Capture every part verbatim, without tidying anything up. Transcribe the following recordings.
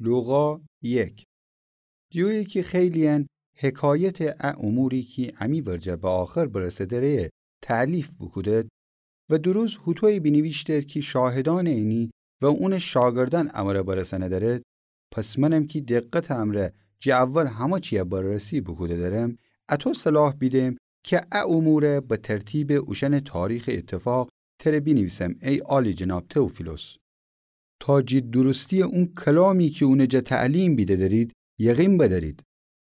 لوقا یک. جویی کی خیلی‌یأن حکایتٚ ا اموری کی امی ورجه به آخر برسه دره تألیف بوکودد و دروز هوطویی بینیویشتد کی شاهدأنٚ اینی و اونٚ شاگردأن امره برسأنه درد، پس منم کی دقتٚ امرأ جٚه اول همه چیه بررسی بوکوده درم، اطو صلاح بیدم کی ا اموره به ترتیبٚ اوشأنٚ تاریخٚ اتفاق تره بینیویسم، ای عالی‌جناب تئوفیلوس، تا جٚه درستی‌یٚ اون کلامی کی اونٚ جا تعلیم بیده درید، یقین بدرید.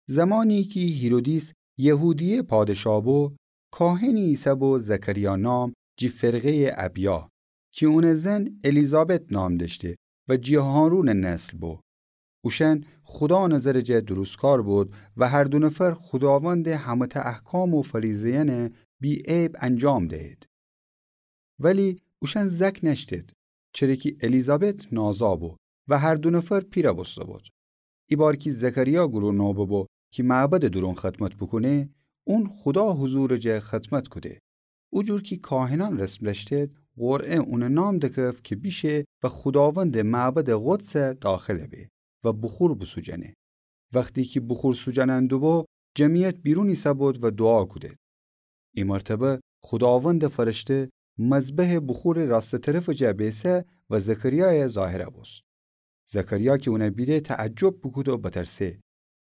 زمانی کی هیرودیس یهودیه پادشاه بو، کاهنی ایسه بو زکریا نام، جٚه فرقه‌یٚ ابیا، کی اونٚ زن الیزابت نام دأشته و جٚه هارونٚ نسل بو. اوشأن خودا نظرٚ جا درستکار بود و هر دو نفر خوداوندٚ همه‌تأ احکام و فریضه‌یأنه بی‌عیب انجام دهید. ولی اوشأن زأک نأشتید، چره کی الیزابت نازا بو و هر دو نفر پیرَ بوسته بود. ایبار کی زکریا گرو نوبه بو کی معبدٚ دورون خدمت بوکونه، اون خودا حضورٚ جا خدمت کوده. او جور کی کاهنأن رسم دأشتید، قرعه اونٚ نام دکفت کی بیشه و خوداوندٚ معبدٚ قدس داخل به و بخور بوسوجأنه. وختی کی بخور سوجأنأن دوبو، جمعیت بیرون ایسه بود و دوعا کودید. ای مرتبه خوداوندٚ فرشته مذبحٚ بخورٚ راستٚ طرفٚ جا بیسه و زکریایَ ظاهرَ بوست. زکریا کی اونَ بیده تعجب بوکود و بترسه.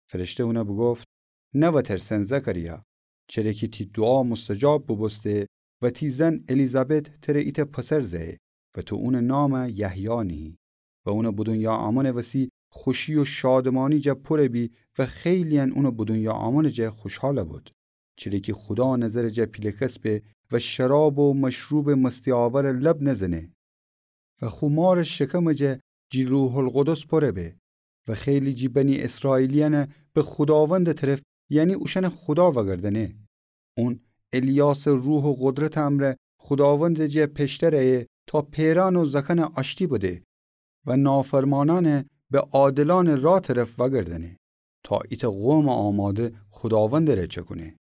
فرشته اونَ بوگفت: نوترسن زکریا، چره کی تی دوعا مستجاب بوبوسته و تی زن الیزابت تره ایتأ پسر زأیه و تو اونٚ نامَ یحیی نیهی و اونٚ به دونیا آمنٚ وسی خوشی و شادمانی جا پورَ بی و خیلی‌یأن اونٚ به دونیا آمنٚ جا خوشحالَ بود. چره کی خودا نظرٚ جا پیله کسبه و شراب و مشروبٚ مستی‌آورَ لب نزنه و خو مارٚ شکمٚ جا جٚه روح‌القدس پورَ به و خیلی جٚه بنی اسرائیلیأنَ به خوداوندٚ طرف، یعنی اوشأنٚ خودا وأگردأنه. اون الیاسَ روح و قدرتٚ امرأ خوداوندٚ جا پشتَ رأیه تا پئرأن و زأکأنَ آشتی بده و نافرمانأنَ به عادلأنٚ راه طرف وأگردأنه، تا ایتأ قومٚ آماده خوداوندٚ ره چکونه.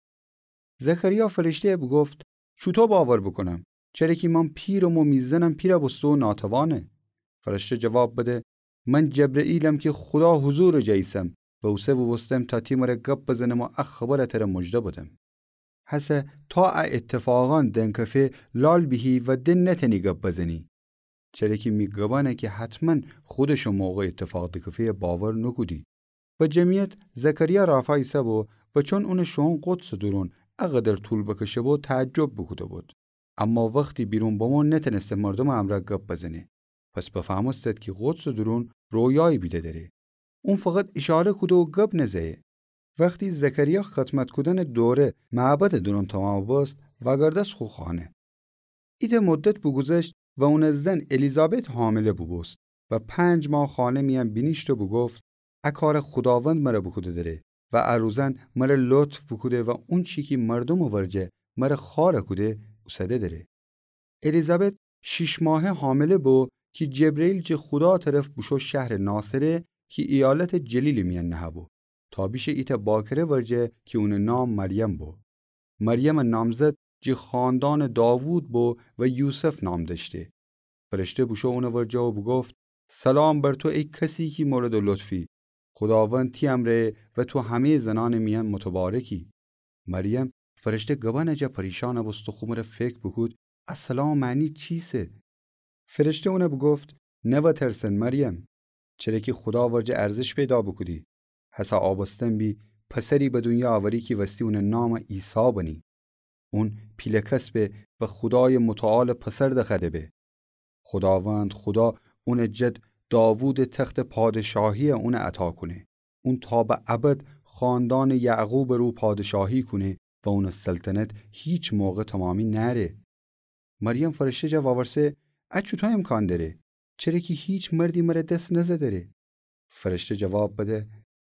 زکریا فرشته‌یَ بوگفت: چوطو باور بوکونم؟ چره کی من پیرم و می زنم پیرَ بوسته و ناتوانه. فرشته جواب بده: من جبرئیلم کی خودا حضورٚ جا ایسم و اوسه بوبوستم تا تی مره گب بزنم و ا خبرَ تره مژده بدم. هسه تا ا ایتفاقأن دنکفه لال بیهی و دن نتأنی گب بزنی. چره کی می گبأنَ کی حتماً خودشٚ موقع ایتفاق دکفه‌یَ باور نوکودی. و جمعیت زکریا رافا ایسه‌بو و چون اونٚ شوئون قدسٚ دورون اقدر طول بکشه‌بو تعجب بوکوده‌بود. اما وختی بیرون بمو نتأنسته مردومٚ امرأ گب بزنه. پس بفهمستد کی قدسٚ دورون رویایی بیده دره. اون فقط ایشاره کوده و گب نزأیه. وختی زکریا خدمت کودنٚ دوره معبدٚ دورون تومامَ بوست، وأگردست خو خانه. ایتأ مدت بوگوذشت و اونٚ زن الیزابت حامله بوبوست و پنج ماه خانه میأن بینیشت و بوگفت: ا کارَ خوداوند مره بوکوده دره و ا روزأن مره لطف بوکوده و اونچی کی مردومٚ ورجه مره خوأرَ کوده اوسده دره. الیزابت شیش ماهه حامله بو کی جبرئیل جٚه خودا طرف بوشو شهرٚ ناصره کی ایالتٚ جلیلٚ میأن نهه‌بو، تا بیشه ایتأ باکره ورجه کی اونٚ نام مریم بو. مریمٚ نامزد جٚه خاندانٚ داوود بو و یوسف نام دأشته. فرشته بوشو اونٚ ورجه و بوگفت: سلام بر تو ای کسی کی موردٚ لطفی، خوداوند تی امرأیه و تو همه‌یٚ زنأنٚ میأن متبارکی. مریم فرشته گبأنٚ جا پریشأنَ بوست و خو مره فکر بوکود: ا سلامٚ معنی چیسه؟ فرشته اونَ بوگفت: نوترسن مریم، چره کی خودا ورجه ارزش پیدا بوکودی. هسه آبستن بی، پسری به دونیا اوری کی وستی اونٚ نامَ عیسی بنی. اون پیله کسبه و خودایٚ متعالٚ پسر دخوأده به. خوداوند خودا اونٚ جد داوودٚ تختٚ پادشاهیَ اونَ عطا کونه. اون تا به ابد خاندانٚ یعقوبٚ رو پادشاهی کونه و اونٚ سلطنت هیچ موقع تومامی نأره. مریم فرشته جا وأورسه: ا چوطو امکان دره؟ چره کی هیچ مردی مره دس نزه دره. فرشته جواب بده: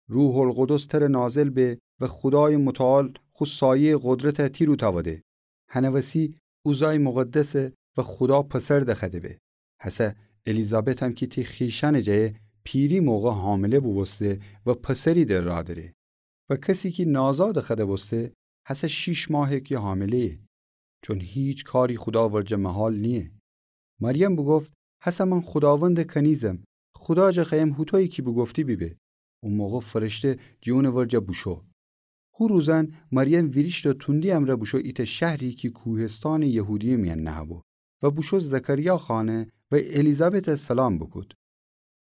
روح‌القدس تره نازل به و خودایٚ متعال خو سایه‌یٚ قدرتَ تی رو تأوده. هنٚ وسی اوزای مقدسه و خودا پسر دخوأده به. هسه الیزابتم کی تی خویشأنٚ جا پیری موقع حامله بوبوسته و پسری در راه دره. و کسی کی نازا دخوأده بوسته، هسه شیش ماهه کی حامله‌یه. چون هیچ کاری خودا ورجه محال نییه. مریم بوگفت: هسه من خوداوندٚ کنیزم، خودا جا خوأیم هوطویی کی بوگفتی بیبه. او موقع فرشته جی اونٚ ورجه بوشو. هو روزأن مریم ویریشت و توندی امرأ بوشو ایتأ شهری کی کوهستانٚ یهودیه میأن نهه‌بو و بوشو زکریا خانه و الیزابتَ سلام بوکود.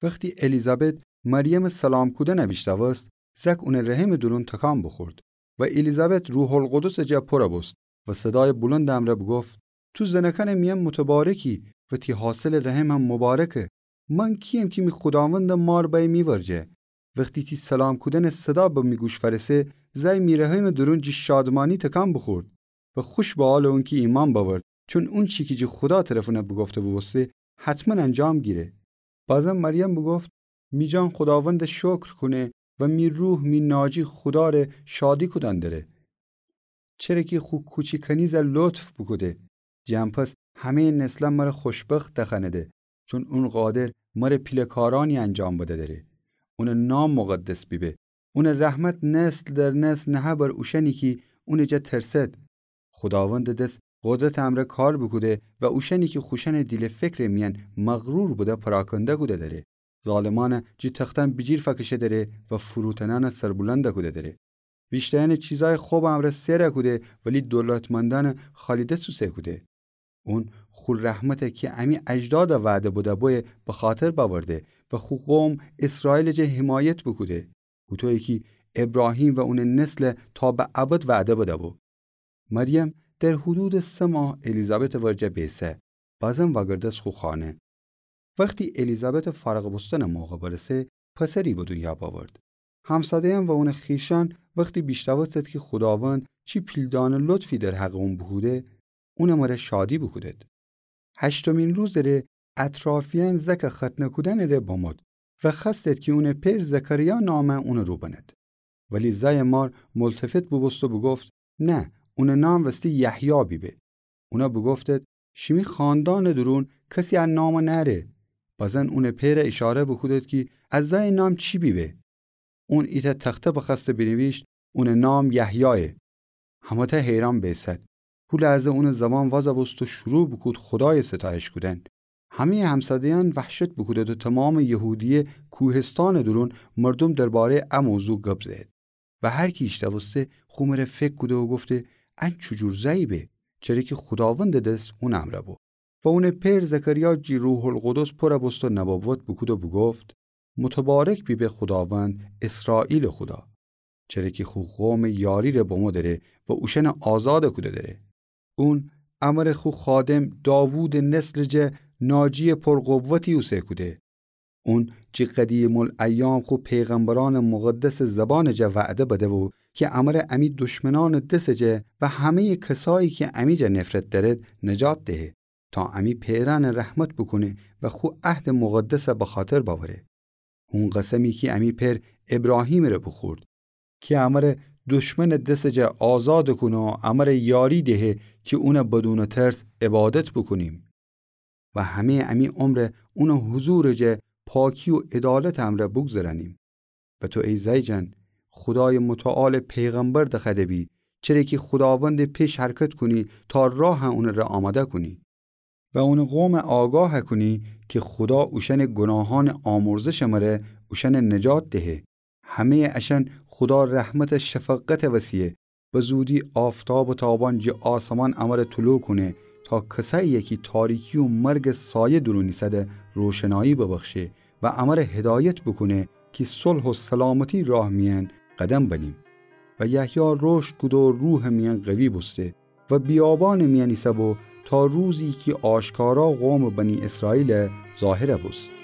وختی الیزابت مریمٚ سلام کودنَ بیشنوست، زأک اونٚ رحمٚ دورون تکان بوخورد و الیزابت روح‌القدسٚ جا پورَ بوست و صدایٚ بلندٚ امرأ بوگفت: تو زنأکأنٚ میأن متبارکی و تی حاصلٚ رحم هم مبارکه. من کییم کی می خوداوندٚ مار بأیه می ورجه؟ وختی تی سلام کودنٚ صدا به می گوش فأرسه، زأی می رحمٚ دورون جی شادمانی تکان بوخورد و خوش به حالٚ اونکی ایمأن بأورد، چون اونچی کی جی خودا طرف اونَ بوگفته بوبوسته، حتماً انجام گیره. بازم مریم بوگفت: می جان خوداوندَ شکر کونه و می روح می ناجی خوداره شادی کودن دره. چره کی خو کوچی کنیزَ لطف بوکوده. جی ان پس همه‌یٚ نسلأن مره خوشبخت دخوأنده، چون اون قادر مره پیله‌کارأنی انجام بده دره. اونٚ نام مقدس بیبه. اونٚ رحمت نسل در نسل نهه بر اوشأنی کی اونٚ جا ترسد. خوداوندٚ دس قدرتٚ امرأ کار بوکوده و اوشأنی کی خوشأنٚ دیل و فکرٚ میأن مغرور بوده پراکنده کوده دره. ظالمأنَ جی تختأن بیجیر فأکشه دره و فروتنأنَ سربلند کوده دره. ویشتأیأنَ چیزأیٚ خب امرأ سئر کوده، ولی دولتمندأنَ خالی دس اوسه کوده. اون خو رحمتَ کی امی اجدادَ وعده بده بویه بخاطر بأورده و خو قوم اسرائیلٚ جا حمایت بوکوده. هوطویی کی ابراهیم و اونٚ نسلَ تا به ابد وعده بده بو. مریم در حدودٚ سه ماه الیزابتٚ ورجه بیسه، بازم وأگردست خو خانه. وختی الیزابتٚ فارغ بوستنٚ موقع برسه، پسری به دونیا بأورد. همساده‌یأن و اونٚ خویشأن وختی بیشنوستد کی خوداوند چی پیلدانه لطفی در حقٚ اون بوکوده، اونٚ مره شادی بوکودد. هشتمین روزٚ ره اطرافیأن زأکٚ ختنه کودنٚ ره بمود و خوأستد کی اونٚ پئر زکریا نامَ اونٚ رو بند. ولی زأیٚ مار ملتفت بوبوست و بوگفت: نه، اونٚ نام وستی یحیی بیبه. اونا بوگفتد: شیمی خاندانٚ دورون کسی ا نامَ نأره. بزن اونٚ پئرَ ایشاره بوکودد کی ا زأیٚ نام چی بیبه. اون ایتأ تخته بخوأسته بینیویشت: اونٚ نام یحیایه. همه‌تأ حیران بیسد. هو لحظه اونٚ زبان وازَ بوست و شروع بوکود خودایَ ستایش کودن. همه‌یٚ همساده‌یأن وحشت بوکودد و تومامٚ یهودیه کوهستانٚ دورون مردوم درباره‌یٚ ا موضوع گب زه‌ید. و هر کی ایشنوسته خو مره فکر کوده و گفته: ان چوجور زأیی به؟ چره کی خوداوندٚ دس اونٚ امرأ بو. و اونٚ پئر زکریا جی روح‌القدس پورَ بوست و نبوت بوکود و بوگفت: متبارک بیبه خوداوند، اسرائیلٚ خودا، چره کی خو قومٚ یاری ره بمو دره و اوشأنَ آزادَ کوده دره. اون امرأ خو خادم داوودٚ نسلٚ جا ناجی‌یٚ پرقوتی اوسه کوده. اون جی قدیم‌الایام خو پیغمبرأنٚ مقدسٚ زبانٚ جا وعده بده بو کی امرأ امی دشمنأنٚ دسٚ جا و همه‌یٚ کسایی کی امی جا نفرت دأرد نجات دهه، تا امی پئرأنَ رحمت بوکونه و خو عهدٚ مقدسَ بخاطر بأوره. هون قسمی کی امی پئر ابراهیمٚ ره بوخورد کی امرأ دشمنٚ دسٚ جا آزادَ کونه و امرَ یاری دهه کی اونَ بدونٚ ترس عبادت بوکونیم و همه‌یٚ امی عمرَ اونٚ حضورٚ جا پاکی و عدالتٚ امرأ بوگذرأنیم. و تو ای زأی جان، خودایٚ متعالٚ پیغمبر دخوأده بی، چره کی خوداوندٚ پیش حرکت کونی تا راهَ اونٚ ره آماده کونی و اونٚ قومَ آگاه کونی کی خودا اوشأنٚ گوناهأنٚ آمرزشٚ مره اوشأنَ نجات دهه. همه‌یٚ اشأن خودا رحمتٚ شفقتٚ وسیعه به زودی آفتابٚ تابان جٚه آسمان امرَ طلوع کونه تا کسأیی‌یَ کی تاریکی و مرگٚ سایه دورون ایسده روشنایی ببخشه و امرَ هدایت بوکونه کی صلح و سلامتی راه میأن قدم بنیم. و یحیی رشد کوده و روحٚ میأن قوی بوسته و بیابانٚ میأن ایسه بو تا روزی کی آشکارا قومٚ بنی اسرائیل ظاهرَ بوست.